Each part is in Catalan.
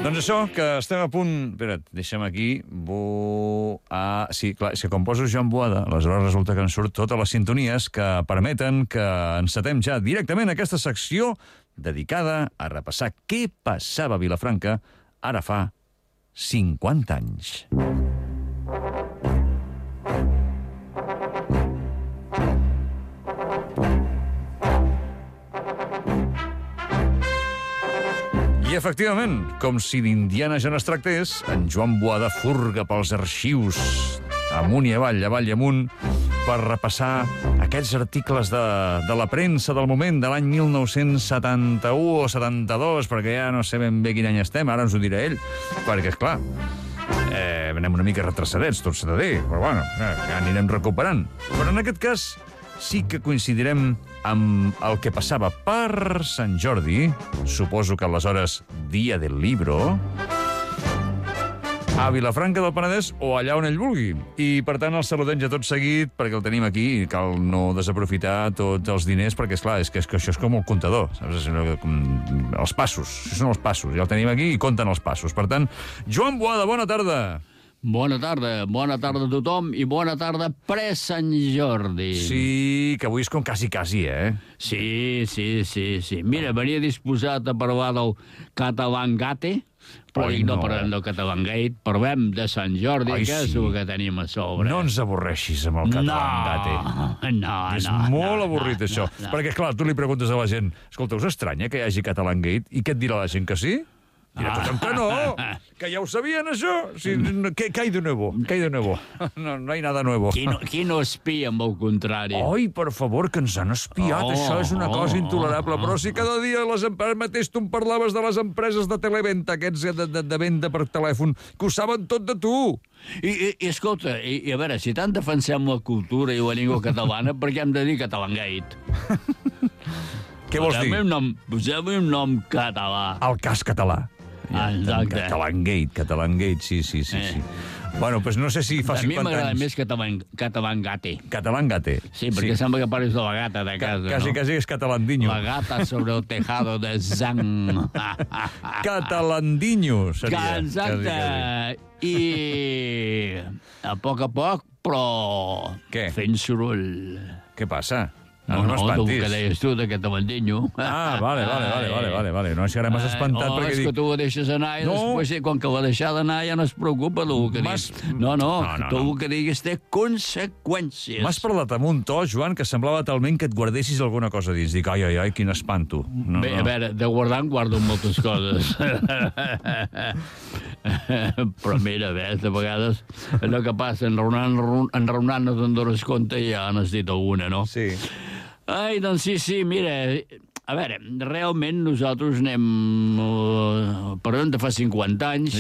Doncs això, que estem a punt... Espera't, deixa'm aquí... Sí, clar, és que com poso Joan Boada, aleshores resulta que ens surt totes les sintonies que permeten que encetem ja directament aquesta secció dedicada a repassar què passava a Vilafranca ara fa 50 anys. I, efectivament, com si d'Indiana Jones tractés, en Joan Boada furga pels arxius amunt i avall i amunt per repassar aquests articles de la premsa del moment de l'any 1971 o 72, perquè ja no sé ben bé quin any estem, ara ens ho dirà ell, perquè, esclar, anem una mica retrocedets, tot s'ha de dir, però bueno, ja anirem recuperant. Però en aquest cas sí que coincidirem amb el que passava per Sant Jordi, suposo que aleshores dia del libro, a Vilafranca del Penedès o allà on ell vulgui. I, per tant, el saludem ja tot seguit, perquè el tenim aquí i cal no desaprofitar tots els diners, perquè, esclar, és que això és com el comptador, saps? Els passos, això són els passos, ja el tenim aquí i compten els passos. Per tant, Joan Boada, bona tarda. Bona tarda a tothom i bona tarda pre-Sant Jordi. Sí, que avui és com quasi, eh? Sí. Mira, venia disposat a parlar del Catalangate, però no parlem del Catalangate, parlem de Sant Jordi, que és el que tenim a sobre. No ens avorreixis amb el Catalangate. No. És molt avorrit, això. Perquè, clar, tu li preguntes a la gent, escolta, us estranya que hi hagi Catalangate? I què et dirà la gent, que sí? Dirà tothom que no, que ja ho sabien, això. ¿Qué hay de nuevo? No hay nada nuevo. Qui no espia, amb el contrari? Ai, per favor, que ens han espiat. Això és una cosa intolerable. Però si cada dia mateix tu em parlaves de les empreses de televenta, aquests de venda per telèfon, que ho saben tot de tu. I escolta, a veure, si tant defensem la cultura i la llengua catalana, per què hem de dir Catalangate? Què vols dir? Posem-li un nom català. El cas català. Exacte. Catalangate, sí. Bueno, doncs no sé si fa 50 anys... A mi m'agrada més Catalangate. Catalangate. Sí, perquè sembla que parles de la gata de casa, no? Quasi és catalandinho. La gata sobre el tejado de Zang. Catalandinho, seria. Exacte. I a poc, però fent soroll. Què passa? No, tu que deies tu, de Catalandinho. Ah, vale. No, és que ara m'has espantat perquè dic... És que tu ho deixes anar i després, quan que ho ha deixat anar, ja no es preocupa del que dius. No, tu el que diguis té conseqüències. M'has parlat amb un to, Joan, que semblava talment que et guardessis alguna cosa dins. Dic, ai, quin espanto. Bé, a veure, de guardar en guardo moltes coses. Però mira, de vegades allò que passa, enraonant-nos en dones compte i ja n'has dit alguna, no? Sí. Ai, doncs sí, mira, a veure, realment nosaltres parlem de fa 50 anys,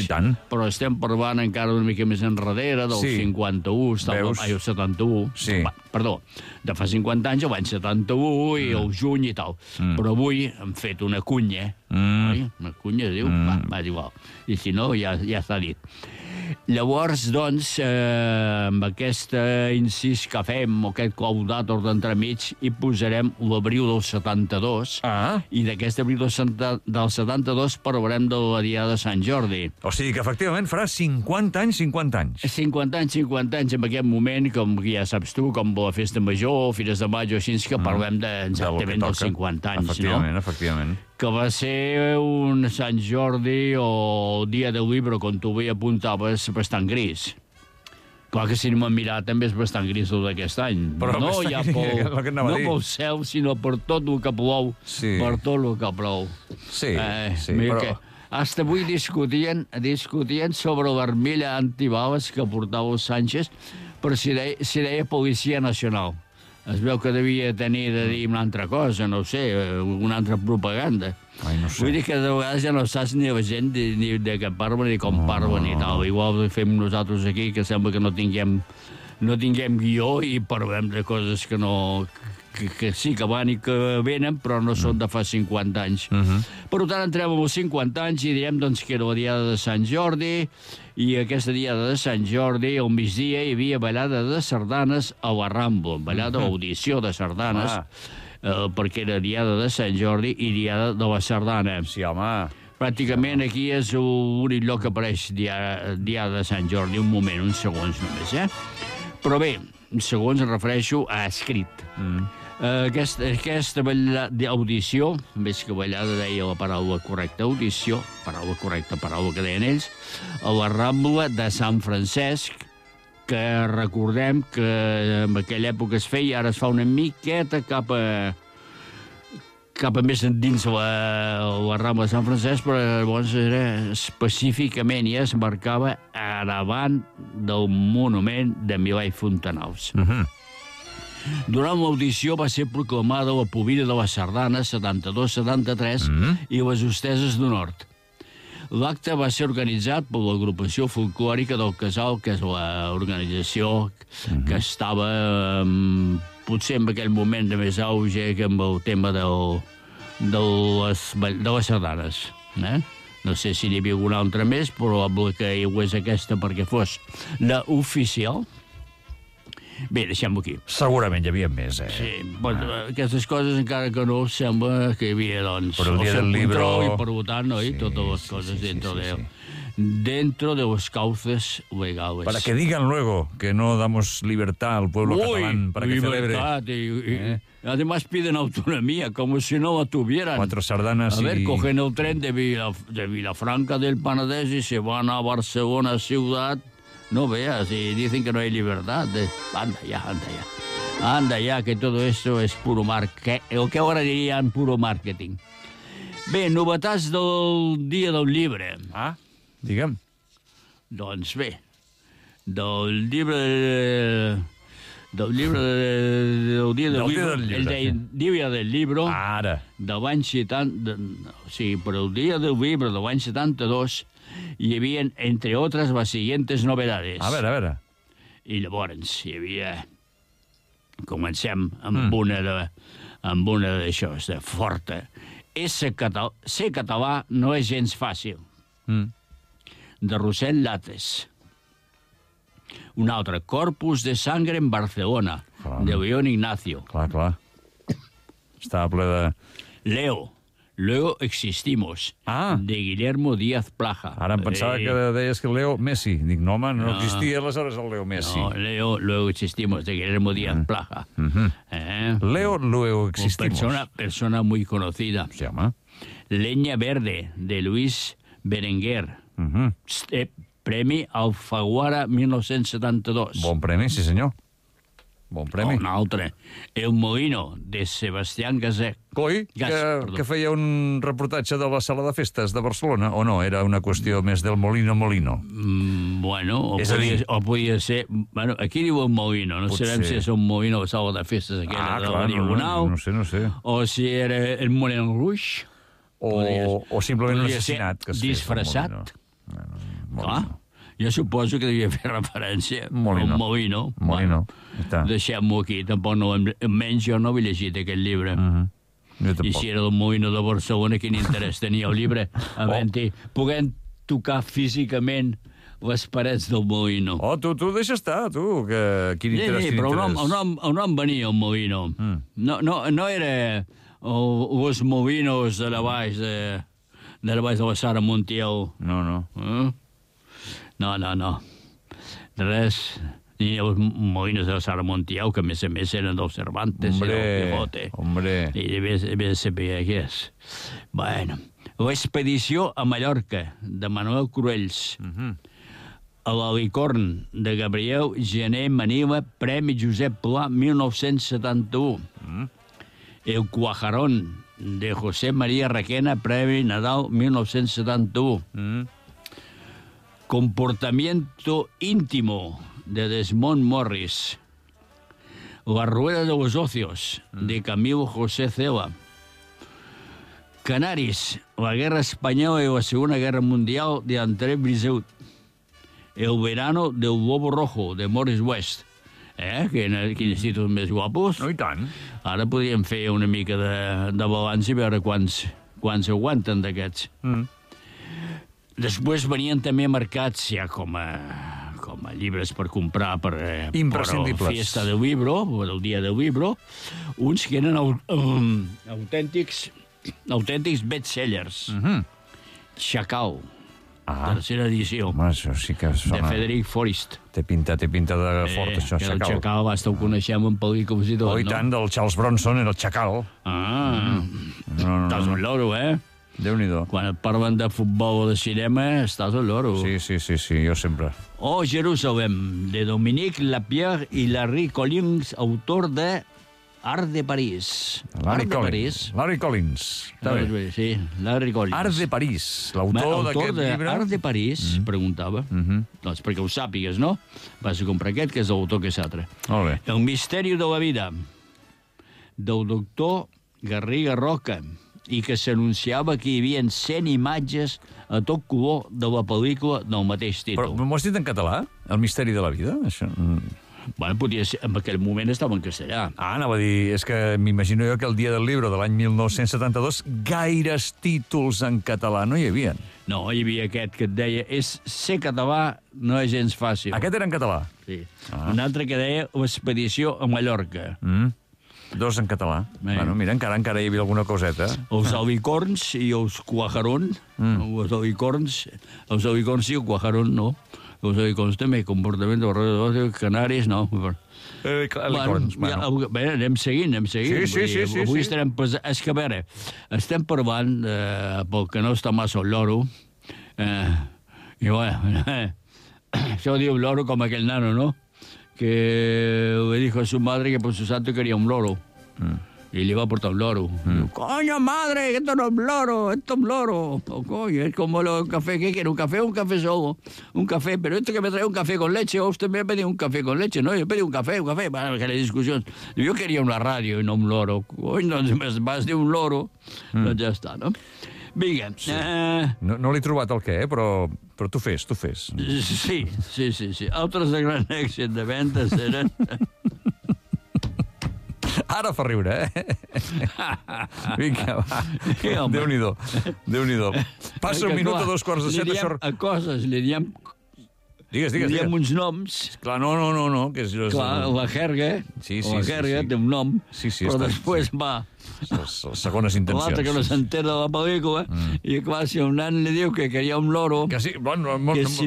però estem parlant encara una mica més enrere, del 51, el 71, perdó, de fa 50 anys, l'any 71 i el juny i tal. Però avui hem fet una cunya, una cunya, diu, va, igual, i si no, ja s'ha dit. Llavors, doncs, amb aquest incís que fem, o aquest clau d'àtor d'entremig, hi posarem l'abril del 72, i d'aquest abril del 72 parlarem de la Diada de Sant Jordi. O sigui que, efectivament, farà 50 anys. 50 anys, en aquest moment, com ja saps tu, com la Festa Major, Fires de Maig, així que parlem exactament dels 50 anys, no? Efectivament. Que va ser un Sant Jordi o el dia del llibre, com tu bé apuntaves, bastant gris. Clar que si no m'han mirat també és bastant gris el d'aquest any. Però no ja pel cel, sinó per tot el que plou. Per tot el que plou. Sí, però... Hasta avui discutien sobre l'armilla antibales que portava el Sánchez, però si deia Policia Nacional. Es veu que devia tenir de dir una altra cosa, no sé, una altra propaganda. No sé. Vull dir que de vegades ja no saps ni la gent ni de què parlen ni com parlen i tal. Igual fem nosaltres aquí, que sembla que no tinguem guió i parlem de coses que no... que sí que van i que venen, però no són de fa 50 anys. Per tant, entrem amb els 50 anys i direm doncs, que era la Diada de Sant Jordi, i aquesta Diada de Sant Jordi, al migdia, hi havia ballada de sardanes a la Rambla, ballada audició de sardanes, perquè era Diada de Sant Jordi i Diada de la Sardana. Sí, home. Pràcticament aquí és l'únic lloc que apareix Diada de Sant Jordi. Un moment, uns segons només, Però bé, segons em refereixo a escrit. Aquesta audició, més que ballada deia la paraula correcta, audició, paraula correcta, paraula que deien ells, a la Rambla de Sant Francesc, que recordem que en aquella època es feia, ara es fa una miqueta cap a més endins la Rambla de Sant Francesc, però llavors era específicament i es marcava a davant del monument de Milà i Fontanals. Durant l'audició va ser proclamada la Pobilla de les Sardanes 72-73 i les Hosteses del Nord. L'acte va ser organitzat per l'agrupació folclòrica del Casal, que és l'organització que estava potser en aquell moment de més auge que amb el tema de les sardanes. No sé si n'hi havia alguna altra més, probable que hi hagués aquesta perquè fos l'oficial. Bé, deixem-ho aquí. Segurament hi havia més, Sí, aquestes coses encara que no sembla que hi havia, doncs, el dia del libro i per votar, no? I totes les coses dentro de los cauces legales. Para que digan luego que no damos libertad al pueblo catalán para que celebre. Además piden autonomía, como si no la tuvieran. 4 sardanas cogen el tren de Vilafranca del Penedès y se van a Barcelona ciudad. No veas, y dicen que no hay libertad. Anda ya, que todo esto es puro marketing. El que ahora dirían puro marketing. Bé, novetats del Dia del Llibre. Digue'm. Doncs bé, del dia del llibre Ara. De l'any 70, per el dia del llibre de l'any 72 hi havia, entre altres, les siguientes novedades. A veure. I llavors hi havia... Comencem amb una d'això, de forta. Ser català no és gens fàcil. De Rossell Lates. Un altre, Corpus de Sangre en Barcelona, de León Ignacio. Clar. Estava ple de... Leo Existimos, de Guillermo Díaz Plaja. Ara em pensava que deies que Leo Messi. Dic, no, home, no existia aleshores el Leo Messi. No, Leo Existimos, de Guillermo Díaz Plaja. Leo Existimos. Persona muy conocida. Sí, home. Leña Verde, de Luis Berenguer. Premi Alfaguara 1972. Bon premi, sí senyor. Bon premi. Un altre. El Molino, de Sebastián Gasset. Coi, que feia un reportatge de la sala de festes de Barcelona, o no? Era una qüestió més del Molino. Bueno, o podia ser... Bueno, aquí diu el Molino, no sabem si és un Molino a la sala de festes aquella de la Diagonal. No sé. O si era el Moulin Rouge. O simplement un assassinat que es fes. Disfressat. Clar. Jo suposo que devia fer referència al Molino. Deixem-ho aquí, tampoc no... Almenys jo no he llegit aquest llibre. I si era del Molino de Barcelona, quin interès tenia el llibre? Puguem tocar físicament les parets del Molino. Tu deixa estar, tu, que quin interès. Però on venia el Molino? No era els Molinos de la baix de la Sara Montiel. No. Res. Ni els Molinos de la Sara Montiel, que a més eren del Cervantes i del Quijote. I devia saber què és. Bueno, l'expedició a Mallorca, de Manuel Cruells. A l'Alicorn, de Gabriel Gené Manila, Premi Josep Pla, 1971. El Cuajarón, de José María Requena, Premi Nadal, 1971. Comportamiento íntimo, de Desmond Morris. La rueda de los ocios, de Camilo José Cela. Canaris, la guerra española y la Segunda Guerra Mundial, de André Briseut. El verano del Lobo Rojo, de Morris West. Quins títols més guapos. I tant. Ara podríem fer una mica de balanç i veure quants aguanten d'aquests. Després venien també marcats ja com a llibres per comprar per imprescindibles. Fiesta del Libro, o el Dia del Libro, uns que eren autèntics bestsellers. Chacal. Tercera edició. Home, això sí que sona... De Frederic Forrest. Té pinta de fort, això, Chacal. El Chacal, basta ho coneixem en pel·lícules i tot, no? I tant, del Charles Bronson era el Chacal. Estàs un loro, Déu-n'hi-do. Quan et parlen de futbol o de cinema, estàs un loro. Sí, jo sempre. Jerusalem, de Dominique Lapierre i Larry Collins, autor de Art de París. Larry Collins. Sí, Larry Collins. Art de París, l'autor d'aquest llibre. Art de París, preguntava. Doncs perquè ho sàpigues, no? Vas a comprar aquest, que és l'autor que és altre. Molt bé. El misteri de la vida, del doctor Garriga Roca, i que s'anunciava que hi havia 100 imatges a tot color de la pel·lícula del mateix títol. Però m'ho has dit en català? El misteri de la vida? Això... Bueno, podia ser, en aquell moment estava en castellà. Anava a dir, és que m'imagino jo que el dia del llibre de l'any 1972 gaires títols en català no hi havia. No, hi havia aquest que et deia ser català no és gens fàcil. Aquest era en català? Sí. Un altre que deia l'expedició a Mallorca. Dos en català. Bueno, mira, encara hi havia alguna coseta. Els alicorns i els cuajarons. Els alicorns sí, el cuajarón no. Els alicorns també, comportament de canaris, no. Alicorns, bueno. Bé, anem seguint. Sí. Avui estarem... És que, a veure, estem parlant, pel que no està massa el loro, i bueno, això diu el loro com aquell nano, no? Que le dijo a su madre que por su santo quería un loro. Y le iba a portar un loro. Digo, coño, madre, esto no es un loro, esto es un loro. Oh, coño, es como el café. ¿Qué quiere? ¿Un café o un café solo? Un café, pero esto que me trae un café con leche, o usted me ha pedido un café con leche. No, yo pedí un café. Bueno, que la discusión. Yo quería una radio y no un loro. Coño, entonces vas de un loro. Doncs ja està, no? Vinga. Sí. No l'he trobat el què, però tu fes. Sí. Altres de gran èxit de ventes eren... Ara fa riure, Vinga, va. Déu-n'hi-do. Passa un minut a 2:45. A coses, li diem... Digues. Li diem uns noms. Clar, no, que és... Clar, la jerga, la jerga té un nom, però després va... Les segones intencions. L'altre que no s'entera de la pel·lícula, i clar, si un nan li diu que quería un loro, que si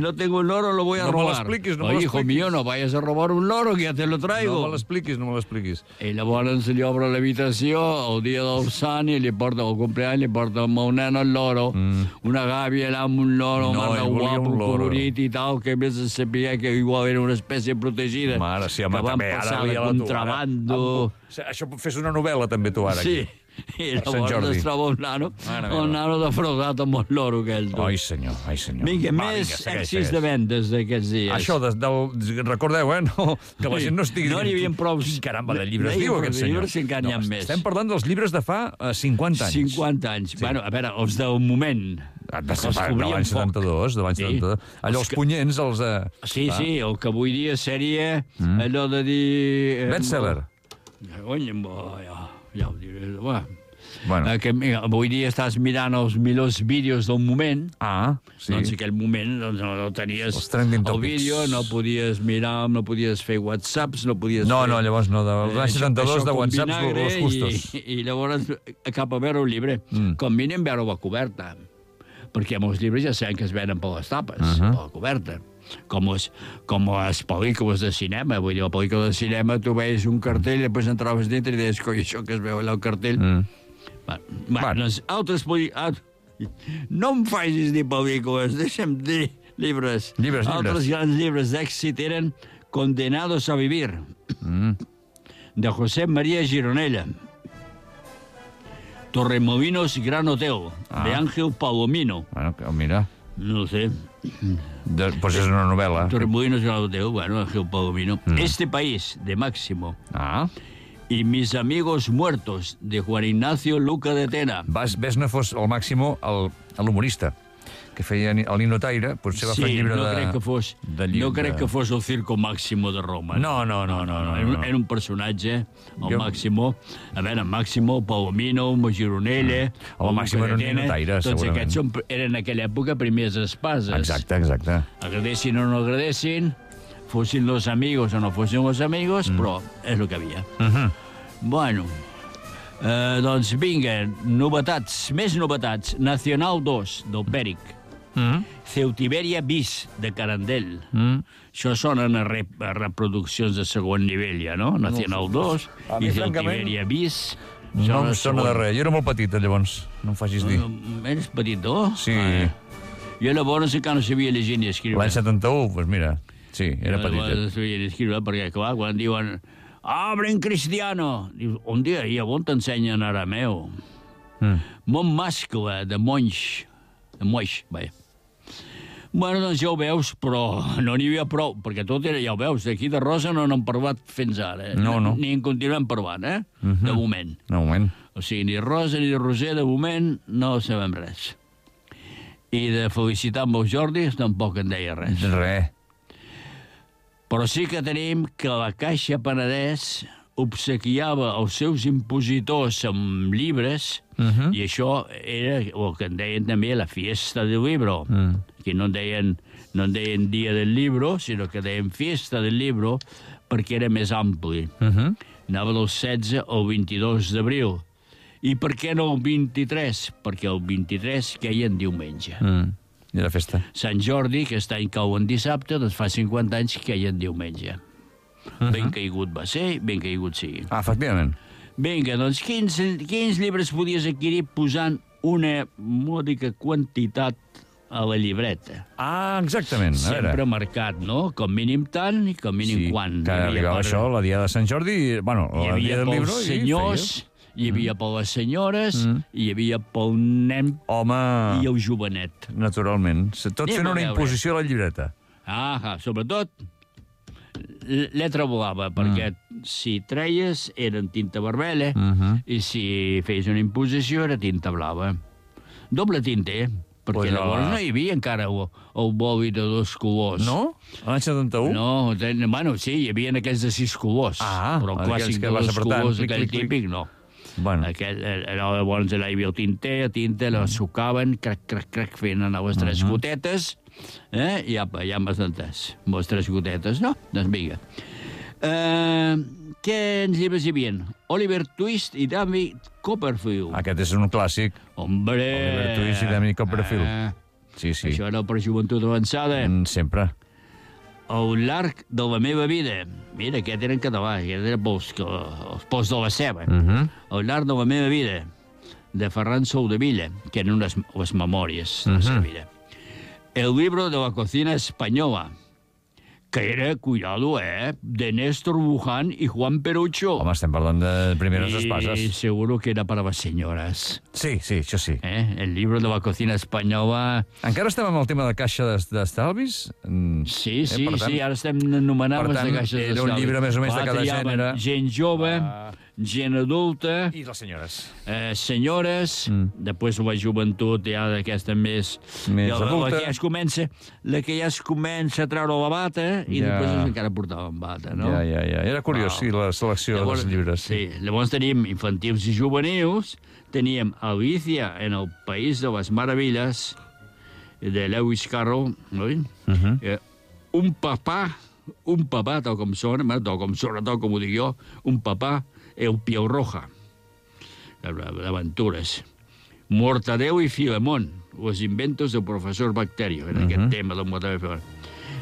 no tengo un loro lo voy a robar. No me l'expliquis. Hijo mío, no vayas a robar un loro, que ya te lo traigo. No me l'expliquis. I llavors se li obre l'habitació el dia del sant i li porta el cumpleaños, li porta al meu nen el loro, una gàbia allà amb un loro, mare guapo, colorit i tal, que a més es sabia que igual era una espècie protegida, que van passar de contrabando. Això fes una novel·la també tu ara. Sí, i llavors es troba un nano defraudat amb el loro aquell. Ai, senyor. Vinga, més èxits de vendes d'aquests dies. Això, recordeu, que la gent no estigui... No n'hi havia prou... Caramba, de llibres diu aquest senyor. Llibres encara n'hi ha més. Estem parlant dels llibres de fa 50 anys. 50 anys. Bueno, a veure, els del moment. De l'any 72, Allò, els punyents, els... Sí, el que avui dia seria allò de dir... Bestseller. Ja ho diré. Bueno. Que avui dia estàs mirant els millors vídeos del moment. Sí. Doncs en aquell moment no tenies el vídeo, no podies mirar, no podies fer whatsapps, no podies fer... No, llavors no, l'any 72 de whatsapps los justos. I llavors cap a veure un llibre. Com mínim veure la coberta. Perquè molts llibres ja sabem que es venen per les tapes, per la coberta. Com les pel·lícules de cinema. Vull dir, la pel·lícula de cinema tu veies un cartell i després entraves dintre i deies, coi, això que es veu allà al cartell. Altres pel·lícules... No em facis dir pel·lícules, deixa'm dir llibres. Altres grans llibres d'èxit eren Condenados a vivir, de José María Gironella. Torremolinos Gran Hotel, de Ángel Palomino. Bueno, mira... No sé. Pues és una novel·la. Torremolinos Gran Hotel, bueno, Ángel Palomino. Este país, de Máximo. Y Mis amigos muertos, de Juan Ignacio Luca de Tena. Ves no fos el Máximo l'humorista que feia el Nino Taire, potser va fer un llibre no crec que fos el Circo Máximo de Roma. No. Era un personatge, el Máximo. A veure, Máximo, Palomino, Gironella... El Máximo era un Nino Taire, segurament. Tots aquests eren en aquella època primers espases. Exacte. Agradessin o no agradessin, fossin los amigos o no fossin los amigos, però és el que havia. Bueno... Doncs vinga, novetats, més novetats. Nacional 2, del Pèric. Ceutiberia bis, de Carandell. Això sonen a reproduccions de segon nivell, ja, no? Nacional 2 i Ceutiberia bis. No em sona de res. Jo era molt petit, llavors. No em facis dir. Eres petit, no? Sí. Jo llavors encara no sabia llegir ni escriure. L'any 71, doncs mira, sí, era petit. No sabia ni escriure, perquè, clar, quan diuen «Abre en cristiano», dius, un dia, i on t'ensenyen arameu? Montmascle, de Moix, vaja. Bueno, doncs ja ho veus, però no n'hi havia prou, perquè tot era, ja ho veus, d'aquí de rosa no n'hem parlat fins ara. No. Ni en continuem parlant, de moment. De moment. O sigui, ni rosa ni roser, de moment, no sabem res. I de felicitar amb el Jordi tampoc en deia res. Res. Però sí que tenim que la Caixa Penedès obsequiava els seus impositors amb llibres, i això era el que en deien també la fiesta del libro, que no en deien dia del libro, sinó que deien fiesta del libro, perquè era més ampli. Anava del 16 al 22 d'abril. I per què no el 23? Perquè el 23 queia en diumenge. I la festa. Sant Jordi, que aquest any cau en dissabte, doncs fa 50 anys queia en diumenge. Ben caigut va ser, ben caigut sigui. Efectivament. Vinga, doncs quins llibres podies adquirir posant una mòdica quantitat a la llibreta? Exactament. Sempre marcat, no? Com mínim tant i com mínim quan. Sí, que arribava això, la dia de Sant Jordi, bueno, la dia del llibre... Hi havia per les senyores, hi havia pel nen i el jovenet. Naturalment. Tot fent una imposició a la llibreta. Sobretot lletra blava, perquè si treies era en tinta vermella i si feies una imposició era tinta blava. Doble tinta, perquè llavors no hi havia encara el boli de 2 colors. No? L'any 71? No, bueno, sí, hi havia aquells de 6 colors, però el clàssic de 2 colors, aquell típic, no. Llavors hi havia el tinter, la sucaven, crac, fent anar les 3 gotetes, i ja m'has entès, amb les 3 gotetes, no? Doncs vinga. Quins llibres hi havia? Oliver Twist i David Copperfield. Aquest és un clàssic. Hombre! Oliver Twist i David Copperfield. Sí. Això era per joventut avançada. Sempre. El llarg de la meva vida. Mira, aquest era en català, aquest era els pols de la ceba. El llarg de la meva vida, de Ferran Soldevilla, que eren les memòries de la seva vida. El libro de la cocina española, que era, cuidado, de Néstor Buján i Juan Perucho. Home, estem parlant de primeres espases. I seguro que era para las señoras. Sí, això sí. El libro de la cocina española... Encara estem amb el tema de caixa d'estalvis? Sí, ara estem anomenant les de caixes d'estalvis. Era un llibre més o menys de cada gènere. Gent jove, gent adulta... I les senyores. Senyores, després la joventut ja d'aquesta més adulta. La que ja es comença a treure la bata i després encara portaven bata, no? Ja. Era curiós, sí, la selecció dels llibres. Sí, llavors teníem infantils i juvenils, teníem Alicia en el País de les Maravilles, de Lewis Carroll, un papà, tal com sona, tal com ho dic jo, un papà, el Piel Roja, d'aventures. Mortadeu i Filemón, los inventos del professor Bacterio, en aquest tema del Mortadeu i Filemón.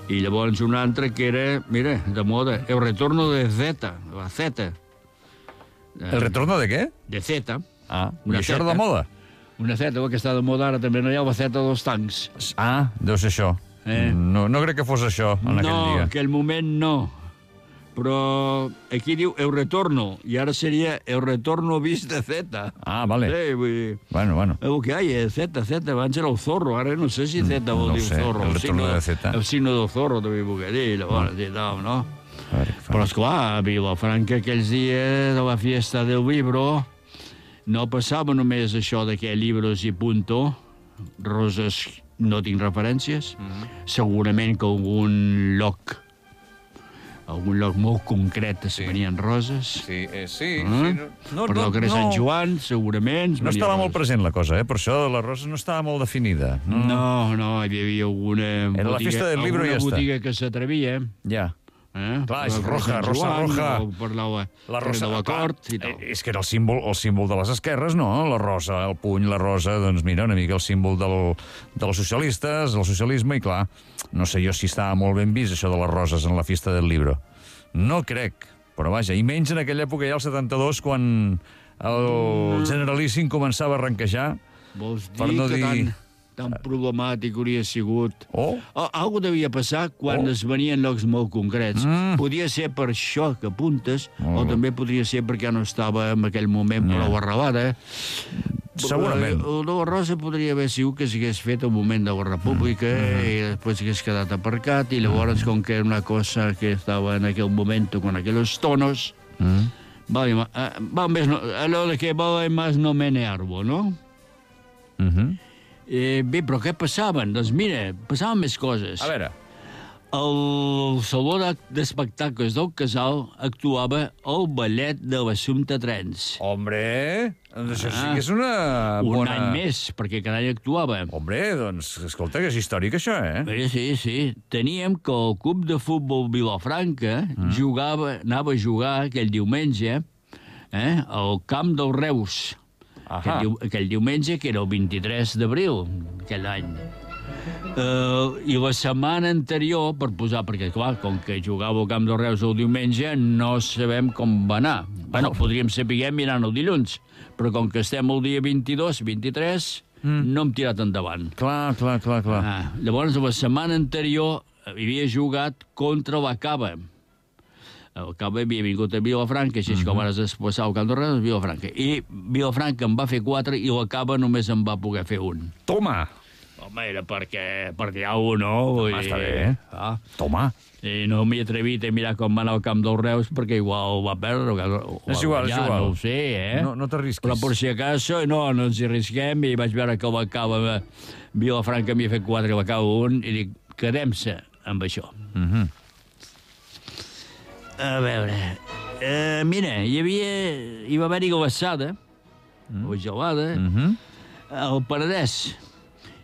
I llavors un altre que era, mira, de moda, el retorno de Zeta, la Zeta. El retorno de què? De Zeta. I això era de moda? Una Zeta, que està de moda ara també, no hi ha la Zeta dels tancs. Deu ser això. No crec que fos això en aquell dia. No, en aquell moment no. Però aquí diu el retorno, i ara seria el retorno vist de Zeta. Vale. Sí, vull dir... Bueno. El que hi ha, Zeta, abans era el zorro, ara no sé si Zeta vol dir zorro. El retorno de Zeta. El signo del zorro, també vull dir, llavors, no? Però, esclar, a Vilafranca aquells dies de la fiesta del libro no passava només això de que llibres i punto, roses no tinc referències, segurament que algun lloc molt concret es venien roses. Sí. Però el carrer Sant Joan, segurament... No estava molt present la cosa, per això la rosa no estava molt definida. No, hi havia alguna botiga que s'atrevia. Ja. Clar, és roja. Parlava de la cort i tal. És que era el símbol de les esquerres, no? La rosa, el puny, la rosa, doncs mira, una mica el símbol dels socialistes, el socialisme, i clar, no sé jo si estava molt ben vist això de les roses en la Fiesta del Libro. No crec, però vaja, i menys en aquella època ja, el 72, quan el Generalíssim començava a arrenquejar. Vols dir que tan problemàtic hauria sigut. Algo devia passar quan es venien llocs molt concrets. Podia ser per això que apuntes, o també podria ser perquè no estava en aquell moment prou arrelada. Segurament. La rosa podria haver sigut que s'hagués fet al moment de la República i després hagués quedat aparcat, i llavors, com que era una cosa que estava en aquell moment con aquellos tonos, allò de que vale más no mene árbol, no? Bé, però què passaven? Doncs mira, passaven més coses. A veure. Al Saló d'Espectacles del Casal actuava el ballet de l'Assumpta Trens. Hombre, doncs això sí que és una bona... Un any més, perquè cada any actuava. Hombre, doncs, escolta, que és històric, això, Sí. Teníem que el club de futbol Vilafranca anava a jugar aquell diumenge al camp del Reus. Aquell diumenge, que era el 23 d'abril, aquell any. I la setmana anterior, perquè, clar, com que jugava al Camp dels Reus el diumenge, no sabem com va anar. Bueno, podríem saber mirant el dilluns, però com que estem el dia 22, 23, no hem tirat endavant. Clar. Llavors, la setmana anterior havia jugat contra la Cava. El Cava havia vingut a Vilafranca, així com ara es desplaçava al Camp dels Reus, Vilafranca. I Vilafranca en va fer 4 i la Cava només en va poder fer 1. Toma! Home, era perquè hi ha un, no? Està bé. Toma! I no m'he atrevit a mirar com va anar al Camp dels Reus perquè igual va perdre. És igual. No ho sé, No t'arrisquis. Però per si acaso, no ens hi arrisquem, i vaig veure que la Cava, Vilafranca m'hi ha fet 4 i la Cava 1, i dic, quedem-se amb això. A veure... mira, hi va haver-hi glaçada, o gelada, al Penedès,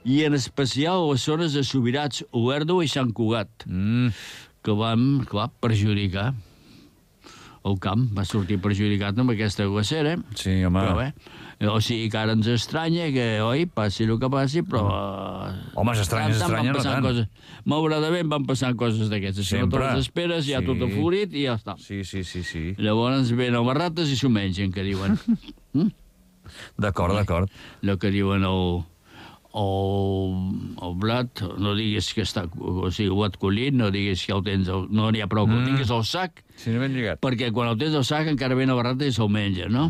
i en especial a les zones de Subirats, Olèrdola i Sant Cugat, que van, clar, perjudicar. El camp va sortir perjudicat amb aquesta glacera. Sí, home. Però bé, o sigui que ara ens estranya que, passi el que passi, però... Home, s'estranya no tant. Malauradament van passant coses d'aquestes. Si no te'ls esperes, ja tot aflorit i ja està. Sí. Llavors venen les rates i s'ho mengen, que diuen. D'acord. El que diuen el blat, no diguis que està... O sigui, el blat collit, no diguis que el tens... No n'hi ha prou que el tinguis al sac, perquè quan el tens al sac encara ven a barrata i se'l menja, no?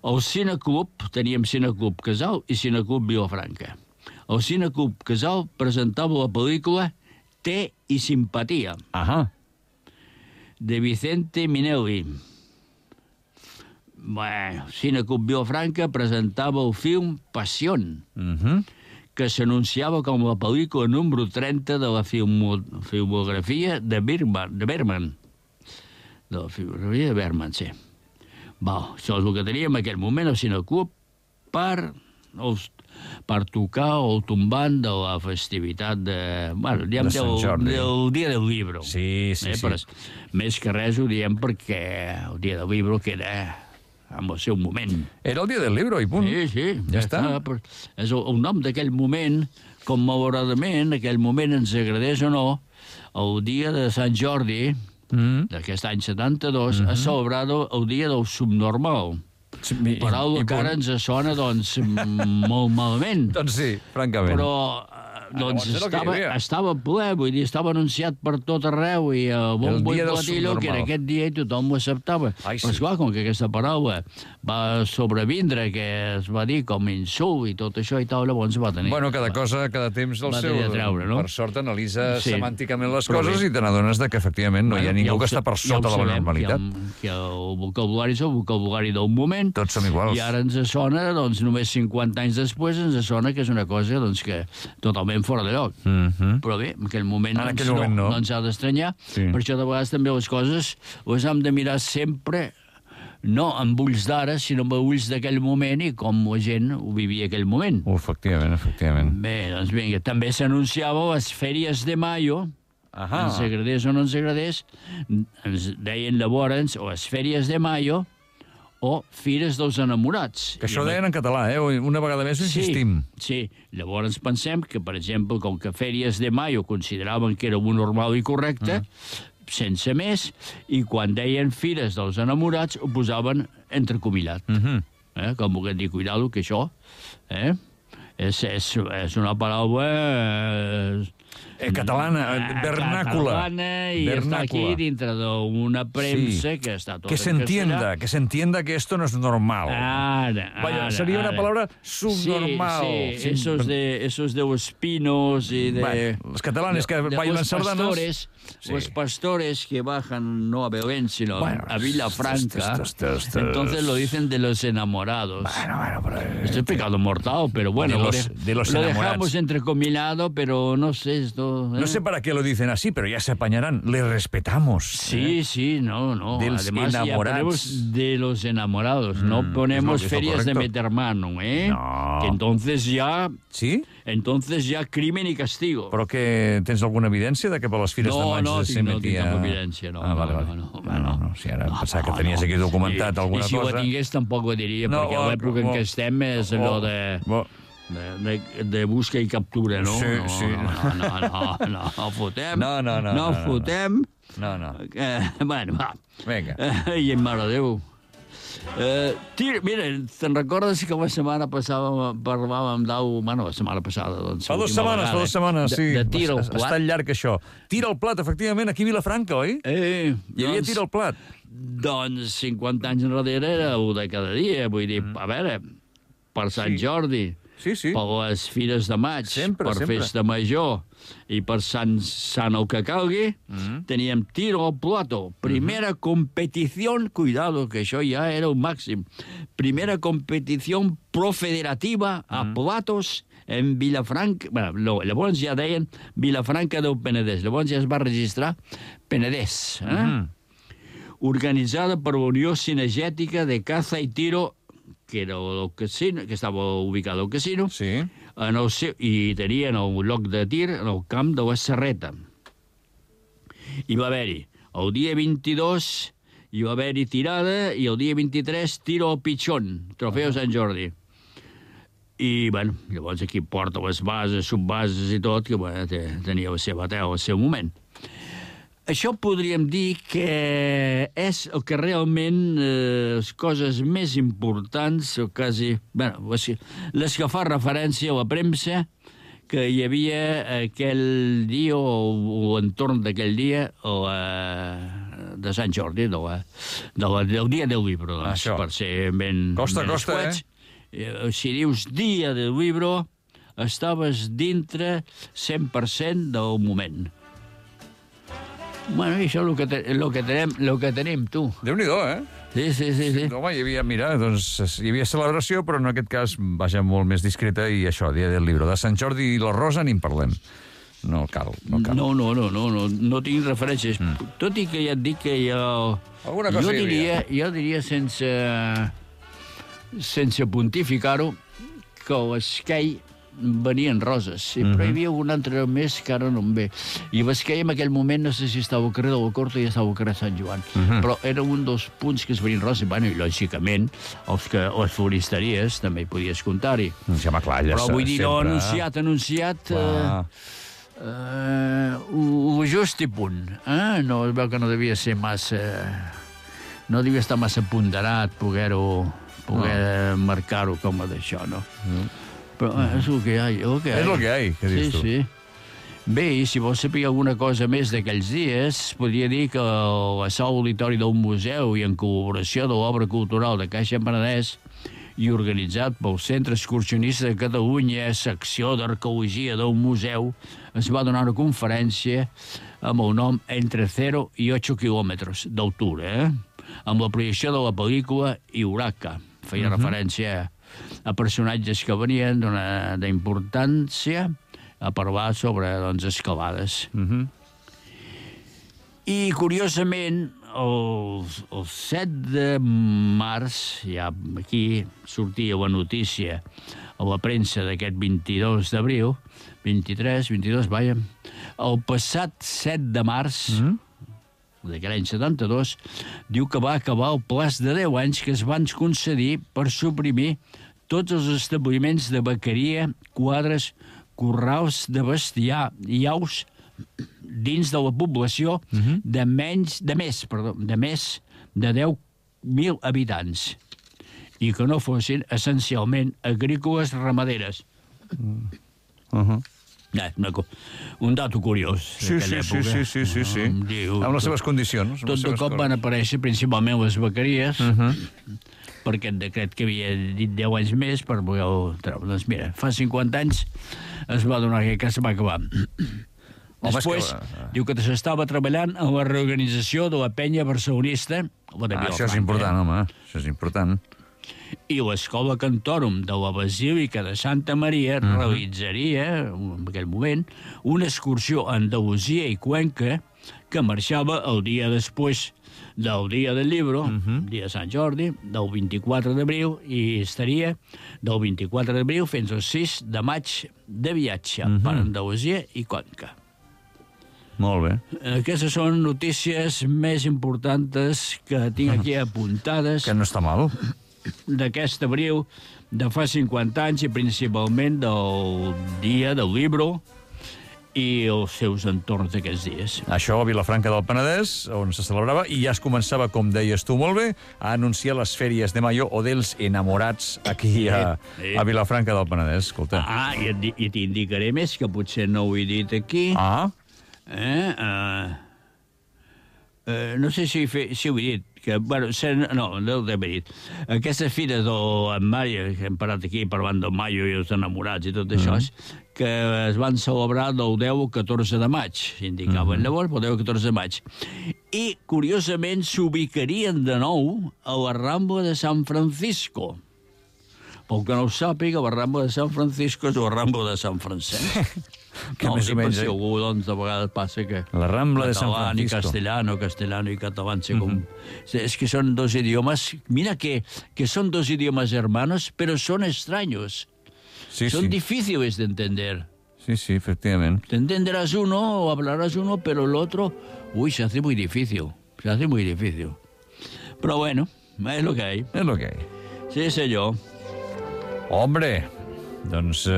Al Cineclub, teníem Cineclub Casal i Cineclub Vilafranca. El Cineclub Casal presentava la pel·lícula Té i simpatia, de Vicente Minelli. Cineclub Vilafranca presentava el film Pasión, que s'anunciava com la pel·lícula número 30 de la filmografia de Bergman. De la filmografia de Bergman, sí. Això és el que teníem en aquell moment al Cineclub per tocar el tombant de la festivitat del dia del llibre. Sí. Més que res ho diem perquè el dia del llibre queda en el seu moment. Era el dia del llibre, i punt. Sí. Ja està. És el nom d'aquell moment, com malauradament aquell moment ens agradeix o no, el dia de Sant Jordi, d'aquest any 72, ha celebrat el dia del subnormal. Paraula que ara ens sona, doncs, molt malament. Doncs sí, francament. Però estava ple, vull dir, estava anunciat per tot arreu, i el bombo i platillo, que era aquest dia i tothom ho acceptava. Però esclar, com que aquesta paraula va sobrevindre, que es va dir com insult i tot això i tal, llavors va tenir... Bueno, cada cosa, cada temps del seu... Per sort, analitza semànticament les coses i te n'adones que, efectivament, no hi ha ningú que està per sota de la normalitat. Que el vocabulari és el vocabulari del moment. Tots som iguals. I ara ens sona, doncs, només 50 anys després, ens sona que és una cosa, doncs, que totalment fora de lloc. Però bé, en aquell moment no ens ha d'estranyar. Per això, de vegades, també les coses les hem de mirar sempre, no amb ulls d'ara, sinó amb ulls d'aquell moment i com la gent ho vivia aquell moment. Efectivament. Bé, doncs vinga, també s'anunciava les Fèries de Mayo, ens agradés o no ens agradés, ens deien llavors o les Fèries de Mayo o Fires dels Enamorats. Que això deien en català, una vegada més ho insistim. Sí, llavors pensem que, per exemple, com que Fèries de Mayo consideraven que era un normal i correcte, sense més, i quan deien Fires dels Enamorats ho posaven entrecomillat. Com volguem dir, cuidado, que això és una paraula... catalana, vernàcula. Catalana, y está aquí dintre d'una premsa que està tot que se entienda que esto no es normal. Vaya, sería una palabra subnormal. Sí, esos de los pinos y de... Bueno, los catalanes que bailan sardanas... Los pastores que bajan no a Belén, sino a Vilafranca, entonces lo dicen de los enamorados. Bueno, pero... Esto es pecado mortal, pero bueno, de los lo dejamos entrecomillado, pero no sé esto... No sé para qué lo dicen así, pero ya se apañarán. Le respetamos. Sí, no. Además, ya ponemos de los enamorados. No ponemos ferias de metermano, No. Que entonces ya... ¿Sí? Entonces ya crimen y castigo. Però que tens alguna evidència de que per les fires de maig se metia... No tinc evidència, no. No. Si ara pensava que tenies aquí documentat alguna cosa... I si ho tingués tampoc ho diria, perquè l'època en què estem és allò de busca i captura, no? Sí. No fotem. No fotem. No. Bueno, va. Vinga. I mare de Déu. Mira, te'n recordes que la setmana passada parlàvem la setmana passada, doncs... Fa 2 setmanes, sí. De Tira el plat. Està llarg, això. Tira el plat, efectivament, aquí a Vilafranca, oi? Hi havia Tira el plat. Doncs 50 anys enrere era el de cada dia, vull dir, a veure, per Sant Jordi, per les Fires de Maig, per Festa Major i per Sant el que calgui, teníem Tiro al Plato. Primera competición, cuidado, que això ja era un màxim, primera competición profederativa a platos en Vilafranca. Bueno, llavors ja deien Vilafranca del Penedès. Llavors ja es va registrar Penedès. Organitzada per la Unió Cinegètica de Caza i Tiro, que era el casino, que estava ubicat al casino, i tenien el lloc de tir en el camp de la Serreta. Hi va haver-hi el dia 22, hi va haver-hi tirada, i el dia 23 tiro al pitxón, trofeu Sant Jordi. I, bueno, llavors aquí porta les bases, subbases i tot, que tenia la seva tela al seu moment. Això podríem dir que és el que realment les coses més importants, o quasi, bueno, les que fa referència a la premsa, que hi havia aquell dia, o entorn d'aquell dia, de Sant Jordi, del dia del llibre, doncs, per ser ben escuets. Si dius dia del llibre, estaves dintre 100% del moment. Bueno, i això és el que tenim, tu. Déu-n'hi-do, Sí. Home, hi havia celebració, però en aquest cas, vaja, molt més discreta, i això, dia del llibre. De Sant Jordi i la Rosa ni en parlem. No cal. No tinc referències. Tot i que ja et dic que jo diria sense pontificar-ho, que l'esquei venien roses, però hi havia un altre més que ara no em ve. I l'esquei en aquell moment, no sé si estava al carrer de la Corta i estava al carrer Sant Joan, però era un dels punts que es venien roses, i lògicament les floristeries també hi podies comptar-hi. Però vull dir, no anunciat ho just i punt. No, es veu que no devia ser massa... No devia estar massa ponderat poder marcar-ho com a d'això, no? Però és el que hi ha. És el que hi ha, què dius tu? Sí. Bé, i si vols saber alguna cosa més d'aquells dies, podria dir que la sala auditori d'un museu i en col·laboració de l'Obra Cultural de Caixa Penedès i organitzat pel Centre Excursionista de Catalunya, secció d'arqueologia d'un museu, es va donar una conferència amb el nom Entre 0 i 8 quilòmetres d'altura, amb la projecció de la pel·lícula Iuraca. Feia referència a personatges que venien d'importància a parlar sobre escalades. I, curiosament, el 7 de març, ja aquí sortia la notícia a la premsa d'aquest 22 d'abril, 22, vaja, el passat 7 de març, d'aquell any 72, diu que va acabar el plaç de 10 anys que es van concedir per suprimir tots els establiments de vaqueria, quadres, corrals de bestiar i aus dins de la població de més de 10.000 habitants i que no fossin essencialment agrícoles ramaderes. Un dato curiós. Sí. Amb les seves condicions. Tot de cop van aparèixer principalment les vaqueries, per aquest decret que havia dit 10 anys més per poder-ho treure. Doncs mira, fa 50 anys es va donar que se va acabar. Després, diu que s'estava treballant en la reorganització de la penya barcelonista. Això és important, home, això és important. I l'Escola Cantorum de la Basílica de Santa Maria realitzaria, en aquell moment, una excursió a Andalusia i Cuenca que marxava el dia després del dia del llibre, dia de Sant Jordi, del 24 d'abril, i estaria del 24 d'abril fins al 6 de maig de viatge per Andalusia i Cuenca. Molt bé. Aquestes són notícies més importants que tinc aquí apuntades. Que no està mal. D'aquest abril de fa 50 anys i principalment del dia del llibre i els seus entorns d'aquests dies. Això a Vilafranca del Penedès, on se celebrava, i ja es començava, com deies tu molt bé, a anunciar les fèries de Mayo o dels enamorats aquí a Vilafranca del Penedès. Escolta. I t'indicaré més, que potser no ho he dit aquí. No sé si ho he dit. No ho he dit. Aquesta fira del Mayo, que hem parat aquí parlant del Mayo i els enamorats i tot això, que es van celebrar del 10 al 14 de maig, s'indicaven llavors, del 10 al 14 de maig. I, curiosament, s'ubicarien de nou a la Rambla de San Francisco. Pel que no ho sàpiga, la Rambla de San Francisco és la Rambla de Sant Francesc. Que més o menys... Si algú, doncs, de vegades passa que... La Rambla de San Francisco. Castellano i català, és que són dos idiomes... Mira que son dos idiomas hermanos, pero son extraños. Son difíciles de entender. Sí, efectivamente. Te entenderás uno o hablarás uno, pero el otro... Uy, se hace muy difícil. Pero bueno, es lo que hay. Es lo que hay. Sí, senyor. Hombre, doncs...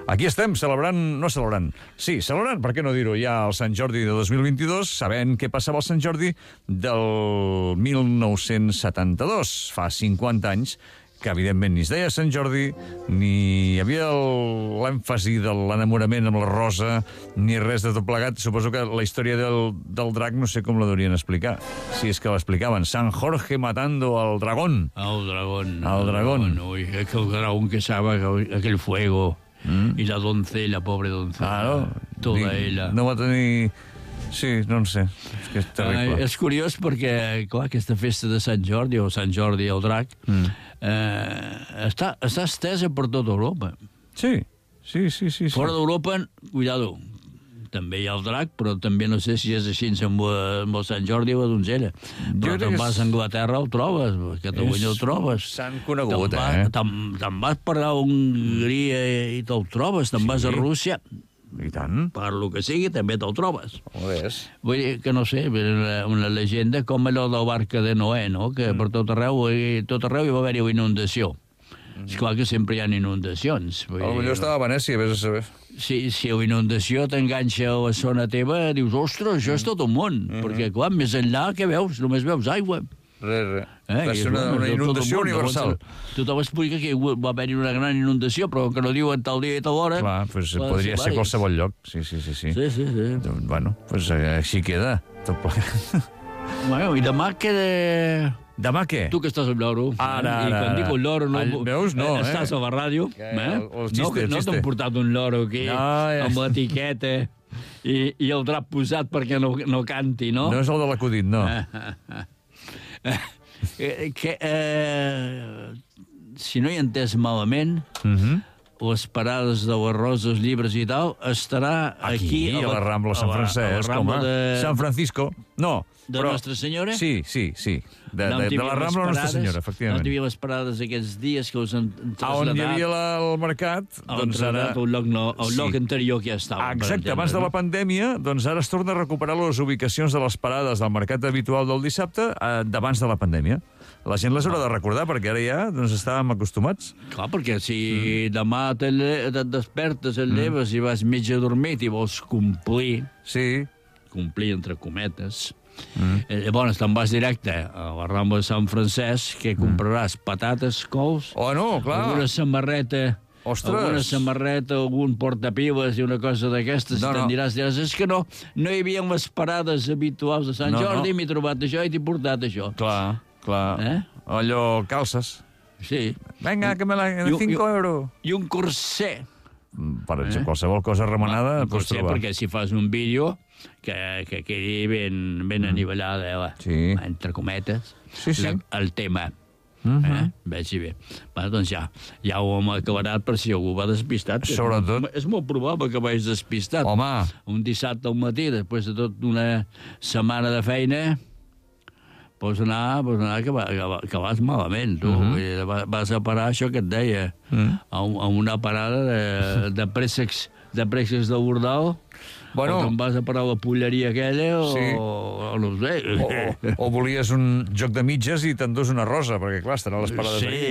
Aquí estem celebrant, per què no dir-ho, ja el Sant Jordi de 2022, sabent què passava al Sant Jordi del 1972, fa 50 anys, que evidentment ni es deia Sant Jordi, ni hi havia l'èmfasi de l'enamorament amb la rosa, ni res de tot plegat. Suposo que la història del drac no sé com la deurien explicar, si és que l'explicaven. San Jorge matando al dragón. El dragón. Uy, aquel dragón que sabe aquel fuego... I la doncella, pobre doncella. Toda ella. No va tenir... Sí, no en sé. És que és terrible. És curiós perquè, clar, aquesta festa de Sant Jordi, o Sant Jordi el drac, està estesa per tota Europa. Sí. Fora d'Europa, cuidado, també hi ha el drac, però també no sé si és així amb el Sant Jordi o la donzella. Però te'n vas a Anglaterra, el trobes, a Catalunya el trobes. S'han conegut, Te'n vas per a Hongria i te'l trobes, te'n vas a Rússia. I tant. Per lo que sigui, també te'l trobes. Vull dir que, no sé, una llegenda com allò del barca de Noé, no?, que per tot arreu hi va haver-hi una inundació. És clar que sempre hi ha inundacions. Potser estava a Venècia, vés a saber. Si la inundació t'enganxa a la zona teva, dius, ostres, això és tot un món. Perquè, clar, més enllà, què veus? Només veus aigua. Res. Va ser una inundació universal. Tothom explica que va haver-hi una gran inundació, però que no diuen tal dia i tal hora. Clar, podria ser a qualsevol lloc. Sí. Sí. Bueno, així queda. Tot plegat. Bueno, i demà queda... Demà què? Tu que estàs amb l'oro. Ara. I quan dic un loro, veus? No, estàs a la ràdio. No t'han portat un loro aquí, amb l'etiqueta i el drap posat perquè no canti, no? No és el de l'acudit, no. Si no hi he entès malament, les parades de les Roses, llibres i tal, estarà aquí a la Rambla Sant Francesc, Sant Francisco. No, de Nostra Senyora? Sí. De la Rambla Nostra Senyora, efectivament. On hi havia les parades aquests dies que us han traslladat. On hi havia el mercat, doncs ara... El lloc anterior que ja estava. Exacte, abans de la pandèmia, doncs ara es torna a recuperar les ubicacions de les parades del mercat habitual del dissabte d'abans de la pandèmia. La gent les haurà de recordar, perquè ara ja estàvem acostumats. Clar, perquè si demà et despertes, et lleves i vas mig adormit i vols complir... Sí. Complir, entre cometes... Llavors te'n vas directe a la Rambla de Sant Francesc, que compraràs patates, cols... Oh, no, clar. Alguna samarreta, algun portapiles i una cosa d'aquestes, i te'n diràs, és que no hi havia les parades habituals de Sant Jordi, m'he trobat això i t'he portat això. Clar. Allò, calces. Sí. Vinga, que me la... 5 euros. I un corser. Per exemple, qualsevol cosa remenada pots trobar. Perquè si fas un vídeo que quedi ben anivellada, entre cometes, el tema. Veig bé. Doncs ja ho hem acabat per si algú va despistat. Sobretot. És molt probable que vagis despistat. Home. Un dissabte al matí, després de tota una setmana de feina, pots anar que vas malament, tu. Vas a parar, això que et deia, a una parada de préssecs de Bordal, o te'n vas a parar a la polleria aquella, o no ho sé. O volies un joc de mitges i t'endús una rosa, perquè clar, estan a les parades aquí. Sí,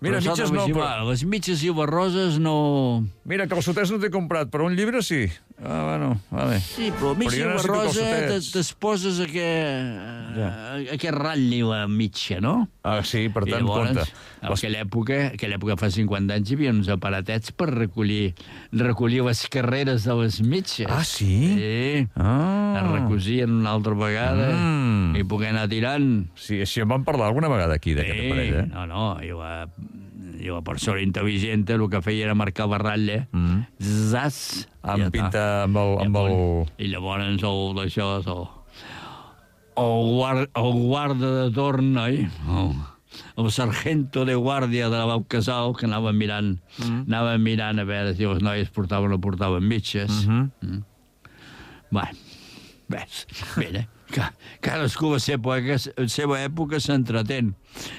mira, mitges no... Les mitges i les roses no... Mira, calçoters no t'he comprat, però un llibre sí. Bueno, vale. Sí, però mitja i la rosa t'esposes aquest ratll la mitja, no? Sí, per tant, compte. En aquella època fa 50 anys, hi havia uns aparatets per recollir les carreres de les mitges. Ah, sí? Sí. Es recosien una altra vegada i poder anar tirant. Sí, així en vam parlar alguna vegada aquí, d'aquest aparell, eh? No, i la persona intel·ligent el que feia era marcar la ratlla, zas, amb pinta amb el... I llavors el guarda de torn, oi? El sargento de guàrdia de la Bau Casal, que anava mirant a veure si les noies portaven o portaven mitges. Bé, mira, cadascú a la seva època s'entretén.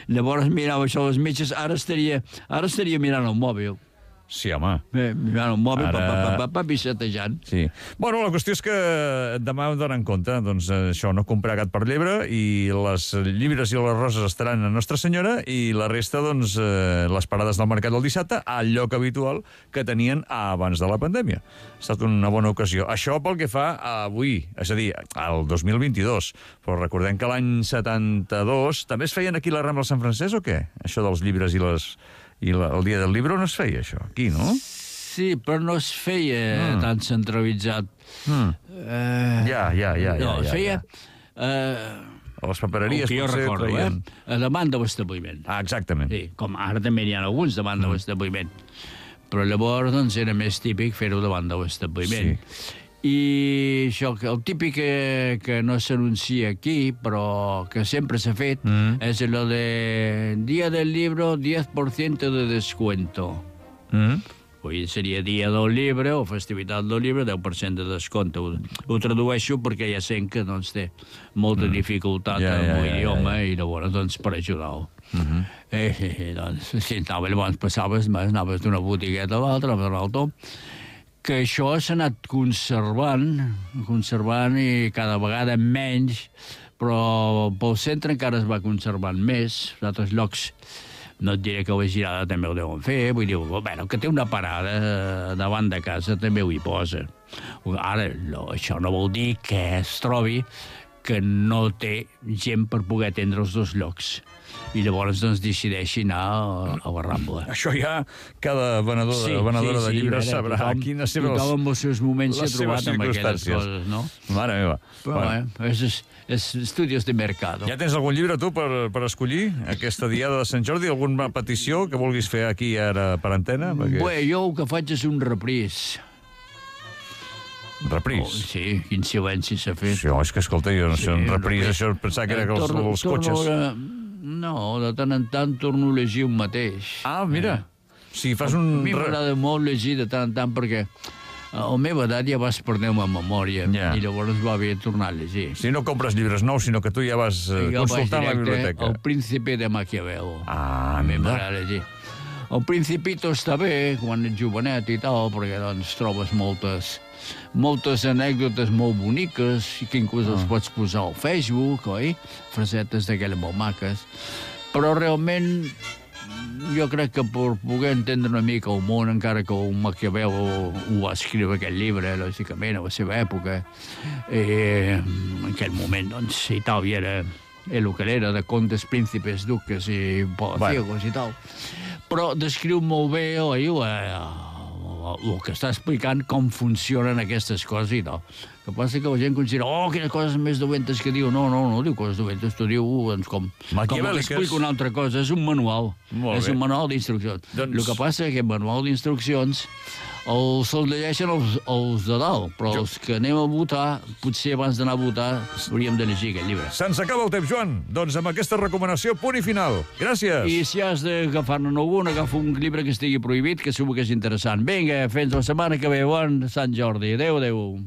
Llavors mirava això les mitges, ara estaria mirant el mòbil. Sí, home. Mirant el mòbil, pissetejant. Sí. Bueno, la qüestió és que demà hem d'anar en compte, doncs això, no comprar gat per llebre, i les llibres i les roses estaran a Nostra Senyora, i la resta, doncs, les parades del mercat del dissabte, al lloc habitual que tenien abans de la pandèmia. Ha estat una bona ocasió. Això pel que fa a avui, és a dir, al 2022. Però recordem que l'any 72 també es feien aquí la Rambla Sant Francesc o què? Això dels llibres i el dia del llibre no es feia, això, aquí, no? Sí, però no es feia tan centralitzat. Ja. No, es feia... A les papereries, potser, recordo, a davant de l'establiment. Ah, exactament. Sí, com ara també n'hi ha alguns davant de l'establiment. Però llavors, doncs, era més típic fer-ho davant de l'establiment. Sí. I això, el típic que no s'anuncia aquí, però que sempre s'ha fet, és el de Dia del Libro, 10% de descuento. Avui seria Dia del Llibre o Festivitat del Llibre, 10% de descompte. Ho tradueixo perquè ja sent que doncs, té molta dificultat amb l'idioma i llavors doncs, per ajudar-ho. Doncs, si llavors passaves, anaves d'una botigueta a l'altra, a l'altra, que això s'ha anat conservant i cada vegada menys, però pel centre encara es va conservant més. En altres llocs, no et diré que la Girada també ho deuen fer, vull dir, bueno, que té una parada davant de casa també ho hi posa. Ara, això no vol dir que es trobi que no té gent per poder atendre els dos llocs. I llavors doncs, decideixi anar a la Rambla. Això ja cada venedora de llibres sabrà quines seves... Tothom amb els seus moments s'ha trobat amb aquelles coses, no? Mare meva. Però és estudios de mercado. Ja tens algun llibre, tu, per escollir aquesta diada de Sant Jordi? Alguna petició que vulguis fer aquí ara per antena? Bé, jo el que faig és un repris. Repris? Sí, quin silenci s'ha fet. Sí, és que, escolta, jo no sé, un repris, això pensava que era que els cotxes... No, de tant en tant torno a llegir un mateix. Ah, mira. si fas un... A mi m'agrada molt llegir de tant en tant perquè a la meva edat ja vas perdent la memòria i llavors va bé tornar a llegir. Si no compres llibres nous, sinó que tu ja vas consultant la biblioteca. El Príncipe de Maquiavelo. Ah, a mi m'agrada llegir. El Principito està bé quan ets jovenet i tal, perquè doncs trobes moltes anècdotes molt boniques i que inclús els pots posar al Facebook, oi? Frasetes d'aquelles molt maques. Però realment jo crec que per poder entendre una mica el món, encara que el Maquiavelo ho va escriure aquest llibre, lògicament, a la seva època, en aquell moment, doncs, Itàlia era el que era, de contes, príncipes, duques i palaciegos i tal. Però descriu molt bé el que està explicant com funcionen aquestes coses i tal. El que passa que la gent considera, quines coses més dolentes que diu. No diu coses dolentes, tu diu com explica una altra cosa. És un manual. És un manual d'instruccions. El que passa que aquest manual d'instruccions se'ls llegeixen els de dalt, però els que anem a votar, potser abans d'anar a votar, hauríem de llegir aquest llibre. Se'ns acaba el temps, Joan. Doncs amb aquesta recomanació, punt i final. Gràcies. I si has d'agafar-ne algun, agafa un llibre que estigui prohibit, que segur que és interessant. Vinga, fins la setmana que ve. Bon Sant Jordi. Adéu.